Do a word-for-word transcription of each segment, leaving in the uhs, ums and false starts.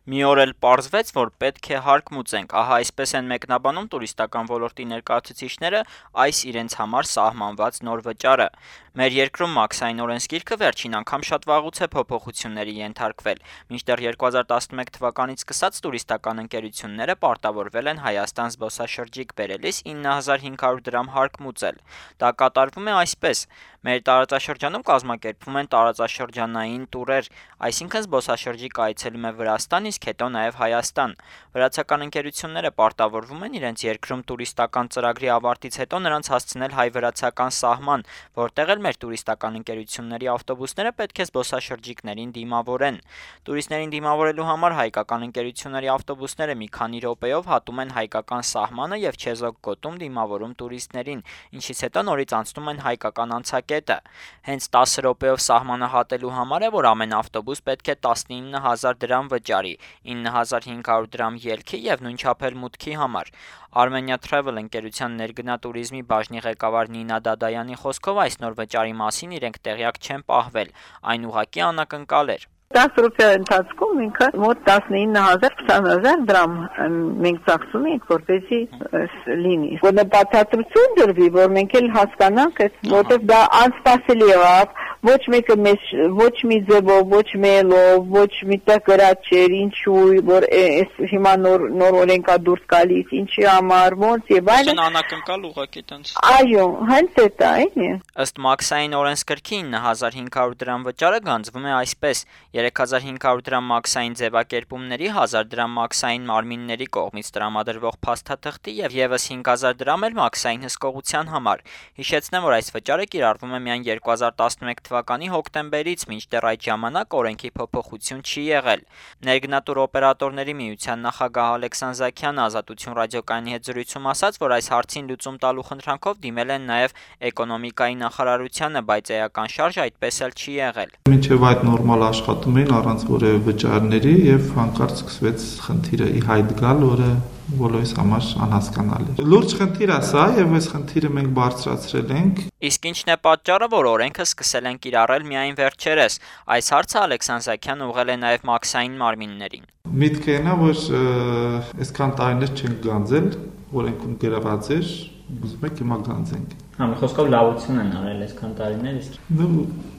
Մի օր էլ պարզվեց, որ պետք է հարկ մուծենք, ահա այսպես են մեկնաբանում տուրիստական ոլորտի ներկայացուցիչները այս իրենց համար սահմանված նոր վճարը։ Մեր երկրում մաքսային օրենսգիրքը վերջին անգամ շատ վաղուց է փոփոխությունների ենթարկվել, մինչդեռ երկու հազար տասնմեկ թվականից սկսած տուրիստական ընկերությունները պարտավորվել են Հայաստան զբոսաշրջիկ բերելիս ինը հազար հինգ հարյուր դրամ հարկ մուծել։ Դա կատարվում է այսպես. մեր տարածաշրջանում կազմակերպվում են տարածաշրջանային տուրեր, այսինքն զբոսաշրջիկ այցելում է Վրաստան, իսկ հետո նաև Հայաստան։ Վրացական ընկերությունները պարտավորվում են իրենց երկրում տուրիստական ծրագրի ավարտից հետո նրանց հասցնել հայ-վրացական սահման, որտեղ էլ մեր տուրիստական ընկերությունների ավտոբուսները պետք է զբոսաշրջիկներին դիմավորեն։ Տուրիստներին դիմավորելու համար հայկական ընկերությունների ավտոբուսները մի քանի րոպեով հատում են հայկական սահմանը եւ չեզոք գոտում դիմավորում տուրիստներին, ինչից հետո նորից անցնում են հայկական անցակետը։ Հենց տասը րոպեով սահմանը հատելու համար է, որ ամեն ավտոբուս պետք է տասնինը հազար դրամ վճարի, ինը հազար հինգ հարյուր դրամ ելքի եւ նույն չափ էլ մուտքի համար։ Armenia Travel ընկերության ներգնատուրիզմի բաժնի ղեկավար Նինա Դադայանի խոսքով այս նոր վճարի մասին իրենք տեղյակ չեն պահվել, այն ուղղակի անակնկալ էր։ տասը րոպե ընթացքում ինքը մոտ տասնինը հազար քսան հազար դրամ մենք ծախսում ենք, որպեսզի լինի։ Որ բացատրություն դրվի, որ մենք էլ հասկանանք, որտեղ դա անսպասելի եղավ, ոչ մեկը մեզ ոչ մի ձևով, ոչ մելով, ոչ միտեղ գրած չէր, ինչու, որ այս հիմա նոր նոր օրենքա դուրս գալիս, ինչի համար, ոնց եւ այլն։ Անակնկալ ուղղակի տենց։ Այո, հենց դա է։ Ըստ մաքսային օրենսգրքի ինը հազար հինգ հարյուր դրամ վճարը գանձվում է այսպես. երեք հազար հինգ հարյուր դրամ մաքսային ձևակերպումների, հազար դրամ մաքսային մարմինների կողմից տրամադրվող փաստաթղթի եւ եւս հինգ հազար դրամ էլ մաքսային հսկողության համար։ Հիշեցնեմ, որ այս վճարը կիրառվում է միայն երկու հազար տասնմեկ թվականի հոկտեմբերից, մինչդեռ այդ ժամանակ օրենքի փոփոխություն չի եղել։ Ներգնատուր օպերատորների միության նախագահ Ալեքսան Զաքյանը Ազատություն ռադիոկայանի հետ զրույցում ասաց, որ այս հարցին լուծում տալու խնդրանքով դիմել են նաեւ էկոնոմիկայի նախարարությանը, բայց էական շարժ այդպես էլ չի եղել։ Մինչև այդ նորմալ աշխատում էին առանց որևէ վճարների եւ հանկարծ սկսվեց խնդիրը ի հայտ գալ, որը բոլորիս համար անհասկանալի է։ Լուրջ խնդիր է սա եւ այս խնդիրը մենք բարձրացրել ենք։ Իսկ ինչն է պատճառը, որ օրենքը սկսել են կիրառել միայն վերջերս։ Այս հարցը Ալեքսան Զաքյանը ուղղել է նաեւ մաքսային մարմիններին։ Միտքը այն է, որ այսքան տարիներ չենք գանձել, օրենքում գրված էր, ուզում եք հիմա գանձենք։ Համ խոսքով լավություն են արել այսքան տարիներ, իսկ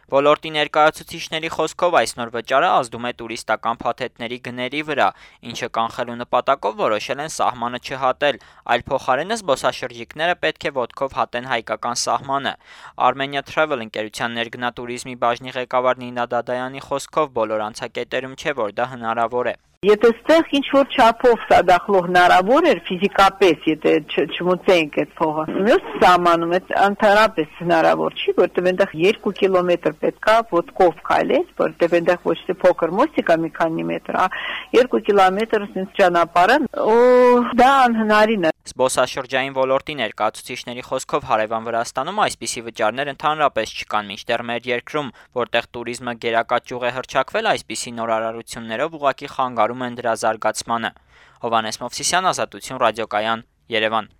Ոլորտի ներկայացուցիչների խոսքով այս նոր վճարը ազդում է տուրիստական փաթեթների գների վրա, ինչը կանխելու նպատակով որոշել են սահմանը չհատել, այլ փոխարենը զբոսաշրջիկները պետք է ոտքով հատեն հայկական սահմանը։ Armenia Travel ընկերության ներգնատուրիզմի բաժնի ղեկավար Նինա Դադայանի խոսքով բոլոր անցակետերում չէ, որ դա հնարավոր է։ Եթե ստեղ ինչ-որ չափով սա դախլող հնարավոր էր ֆիզիկապես, եթե չմուծենք այդ փողը, մյուս սահմանում այդ ընդհանրապես հնարավոր չի, որտեղ այնտեղ երկու կիլոմետր պետք է ոտքով քայլես, որտեղ այնտեղ ոչ թե փոքր մոստիկ է մի քանի մետր, երկու կիլոմետր sense ճանապարհը, ու դա անհնարին է։ Զբոսաշրջային ոլորտի ներկայացուցիչների խոսքով հարևան Վրաստանում այսպիսի վճարներ ընդհանրապես չկան, մինչդեռ մեր երկրում, որտեղ տուրիզմը գերակա ճյուղ է հռչակվել, այսպիսի նորարարություններով ուղղակի խանգարում են դրա զարգացմանը։ Հովհաննես Մովսիսյան, Ազատություն ռադիոկայան, Երևան։